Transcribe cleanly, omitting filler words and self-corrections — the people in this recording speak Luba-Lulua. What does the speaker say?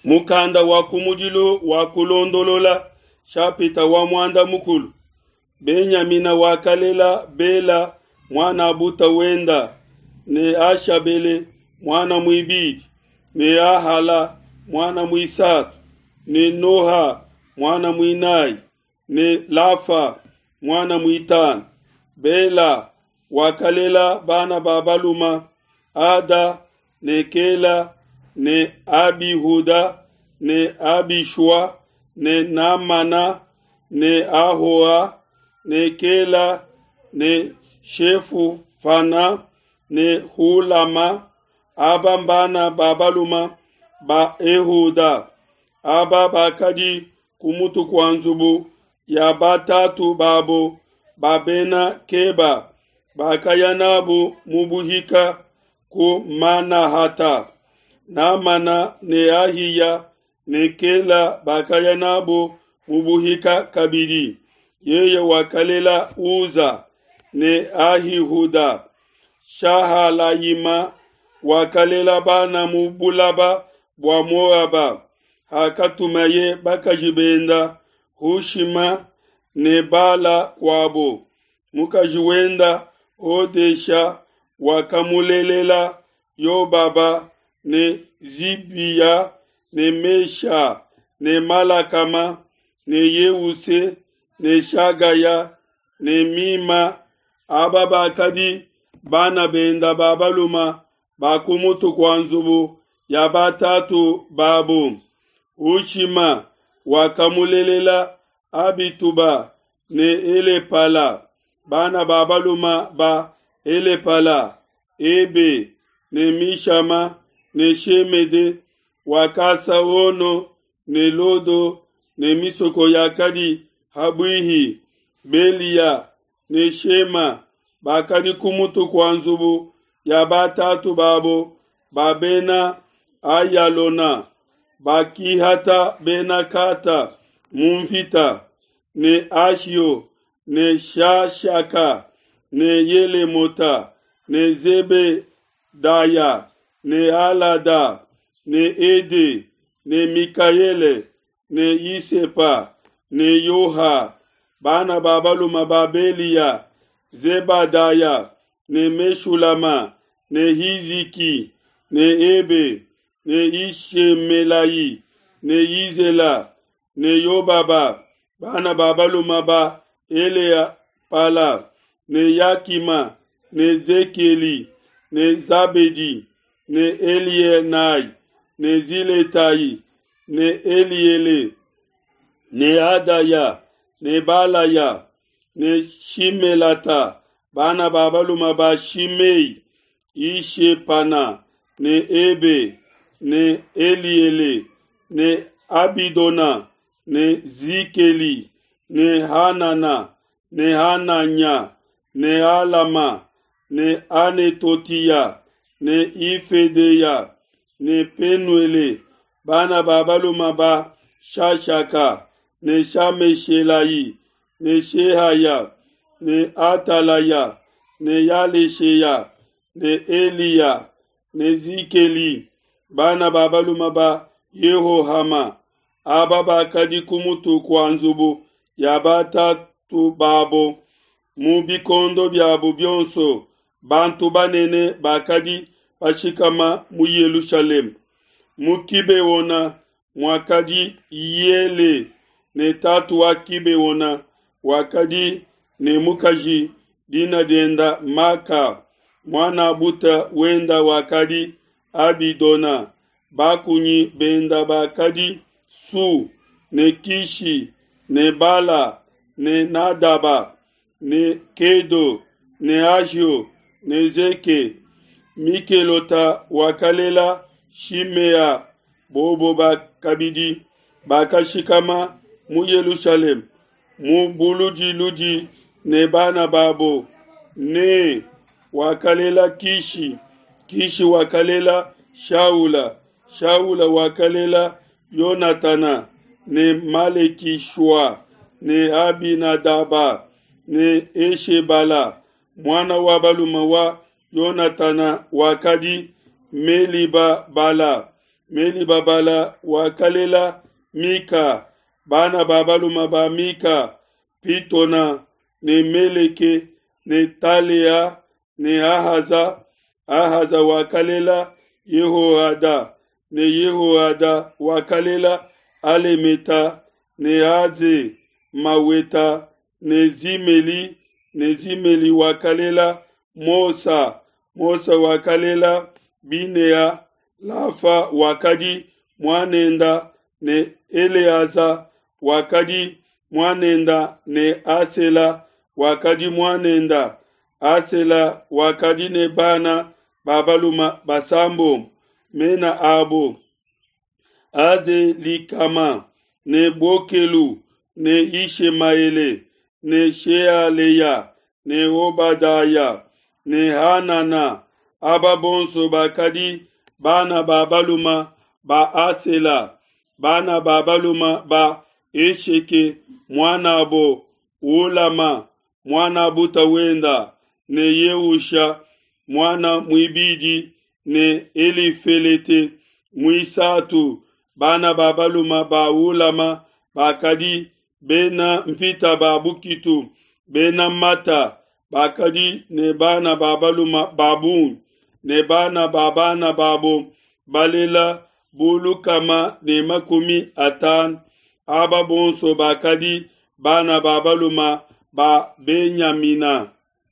Mukanda wa kumudilu wa Kulondolola, shapita wa muanda mukulu. Benyamina wakalela Bela muan'a wenda, ne Ashabele muana muibidi, ne Ahala muana muisatu, ne Noha muana muinayi, ne Lafa muana muitanu. Bela wakalela bana ba baluma Ada ne Kela ne Abihuda ne Abishua ne Namana ne Ahoa ne Kela ne Shefufana ne Hulama. Aba mbana ba baluma ba Ehuda. Aba bakadi ku mutu kua nzubu ya batatu babo ba bena Keba, bakaya nabu mu buhika ku Manahata. Namana ne Ahiya ne Kela bakaya nabo mu buhika kabidi. Yeye wakalela Uza ne Ahihuda. Shahalayima wakalela bana mu bulaba bua Moaba. Hakatumaye bakaji benda Hushima ne Bala kuabo. Mukaji wenda Hodesha wakamulelela Yobaba ne Zibiya ne Mesha ne Malakama ne Yeuse ne Shagaya ne Mima. Aba bakadi bana benda ba baluma ba ku mutu kua nzubu ya batatu babo. Hushima wakamulelela Abituba ne Elepala. Bana ba baluma ba Elepala, Ebe ne Mishama ne Shemede. Wakasa Ono ne Lodo ne misoko yakadi habuihi. Belia ne Shema bakadi ku mutu kua nzubu ya batatu babo ba bena Ayalona. Bakihata bena Kata mu mvita ne Ahio ne Shashaka ne Yelemota ne Zebedaya ne Alada ne Ede ne Mikaele ne Isepa ne Yoha. Bana ba baluma ba Belia, Zebadaya ne Meshulama ne Hiziki ne Ebe ne Ishemelai ne Yizela ne Yobaba. Bana ba baluma ba Eleapala ne Yakima ne Zekeli ne Zabedi ne Elienai ne Ziletai ne Eliele ne Adaya ne Balaya ne Shimelata. Bana ba baluma ba Shimei, Ishepana ne Ebe ne Eliele ne Abidona ne Zikeli ne Hanana ne Hananya ne Alama ne Anetotiya ne Ifedeya ne Penuele. Bana ba baluma ba Shashaka ne Shameshelai ne Shehaya ne Atalaya ne Yalesheya ne Eliya ne Zikeli. Bana ba baluma ba Yehohama. Aba bakadi ku mutu kua nzubu ya batatu babo mu bikondo biabo bionso. Bantu banene bakadi bashikama mu Yelushalema. Mu Kibeona muakadi Yele ne tatu wa Kibeona wakadi ne mukaji dina dienda Maka. Muana buta wenda wakadi Abidona. Bakunyi benda bakadi Su ne Kishi ne Bala ne Nadaba ne Kedo ne Ahio ne Zeke. Mikelota wakalela Shimea. Bobo bakabidi bakashikama mu Yelushalema mu buludiludi ne bana babo. Ne wakalela Kishi. Kishi wakalela Shaula. Shaula wakalela Yonatana ne Malekishua ne Abinadaba ne Eshebala. Muana wa baluma wa Yonatana wakadi Meliba Bala. Melibabala wakalela Mika. Bana ba balume ba Mika: Pitona ne Meleke ne Talea ne Ahaza. Ahaza wakalela Yehoada ne Yehoada wakalela Alemeta ne Aze Maweta ne Zimeli ne Zimeli wakalela Mosa. Mosa wakalela Binea. Lafa wakadi muanenda ne Eleaza wakadi muanenda ne Asela wakadi muanenda. Asela wakadi ne bana ba balume basambombo, mena abo Azelikama ne Bokelu ne Yishemaele ne Shealeya ne Obadaya ne Hanana. Aba bonso bakadi bana ba balume ba Asela. Bana ba balume ba Esheke muanabo Ulama muanabuta wenda ne Yeusha muana muibidi ne Elifelete muisatu. Bana ba balume ba Ulama bakadi bena mvita ba bukitu, bena mata, bakadi ne bana ba balume ba bungi, ne bana ba bana babo balela bu 150. Aba bonso bakadi bana ba balume ba Benyamina.